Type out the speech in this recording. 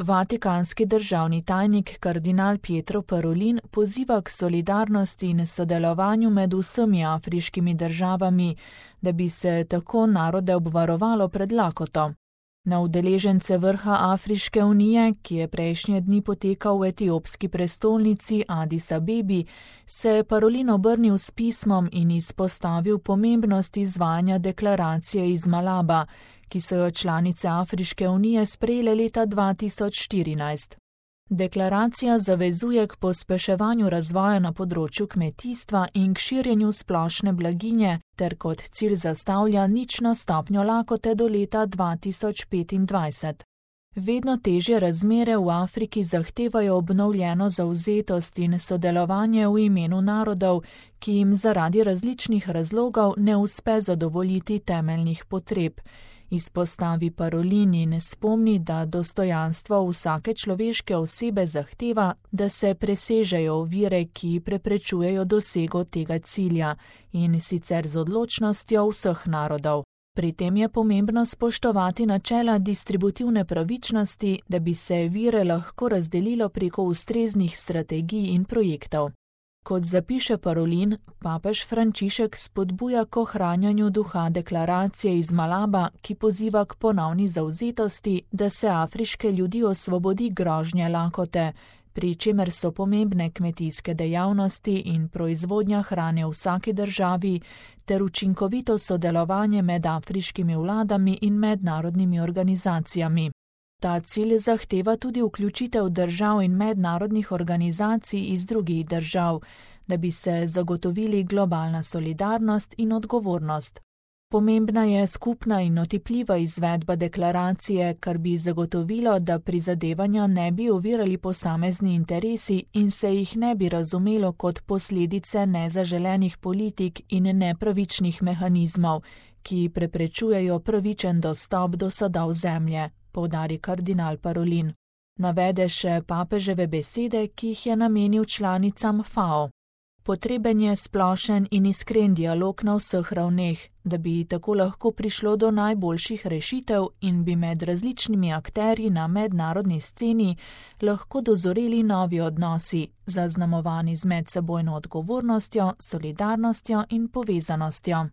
Vatikanski državni tajnik kardinal Pietro Parolin poziva k solidarnosti in sodelovanju med vsemi afriškimi državami, da bi se tako narode obvarovalo pred lakoto. Na udeležence vrha Afriške unije, ki je prejšnje dni potekal v etiopski prestolnici Adis Abebi, se je Parolin obrnil s pismom in izpostavil pomembnost izvajanja deklaracije iz Malaba, ki so jo članice Afriške unije sprejele leta 2014. Deklaracija zavezuje k pospeševanju razvoja na področju kmetijstva in k širjenju splošne blaginje ter kot cilj zastavlja nično stopnjo lakote do leta 2025. Vedno težje razmere v Afriki zahtevajo obnovljeno zavzetost in sodelovanje v imenu narodov, ki jim zaradi različnih razlogov ne uspe zadovoljiti temeljnih potreb. Izpostavi Parolin in spomni, da dostojanstvo vsake človeške osebe zahteva, da se presežejo ovire, ki preprečujejo dosego tega cilja, in sicer z odločnostjo vseh narodov. Pri tem je pomembno spoštovati načela distributivne pravičnosti, da bi se vire lahko razdelilo preko ustreznih strategij in projektov. Kot zapiše Parolin, papež Frančišek spodbuja k ohranjanju duha deklaracije iz Malaba, ki poziva k ponovni zavzetosti, da se afriške ljudi osvobodi grožnje lakote, pri čemer so pomembne kmetijske dejavnosti in proizvodnja hrane v vsaki državi ter učinkovito sodelovanje med afriškimi vladami in mednarodnimi organizacijami. Ta cilj zahteva tudi vključitev držav in mednarodnih organizacij iz drugih držav, da bi se zagotovili globalna solidarnost in odgovornost. Pomembna je skupna in otipljiva izvedba deklaracije, kar bi zagotovilo, da prizadevanja ne bi ovirali posamezni interesi in se jih ne bi razumelo kot posledice nezaželenih politik in nepravičnih mehanizmov, ki preprečujejo pravičen dostop do sadov zemlje, poudari kardinal Parolin. Navede še papeževe besede, ki jih je namenil članicam FAO. Potreben je splošen in iskren dialog na vseh ravneh, da bi tako lahko prišlo do najboljših rešitev in bi med različnimi akterji na mednarodni sceni lahko dozoreli novi odnosi, zaznamovani z medsebojno odgovornostjo, solidarnostjo in povezanostjo.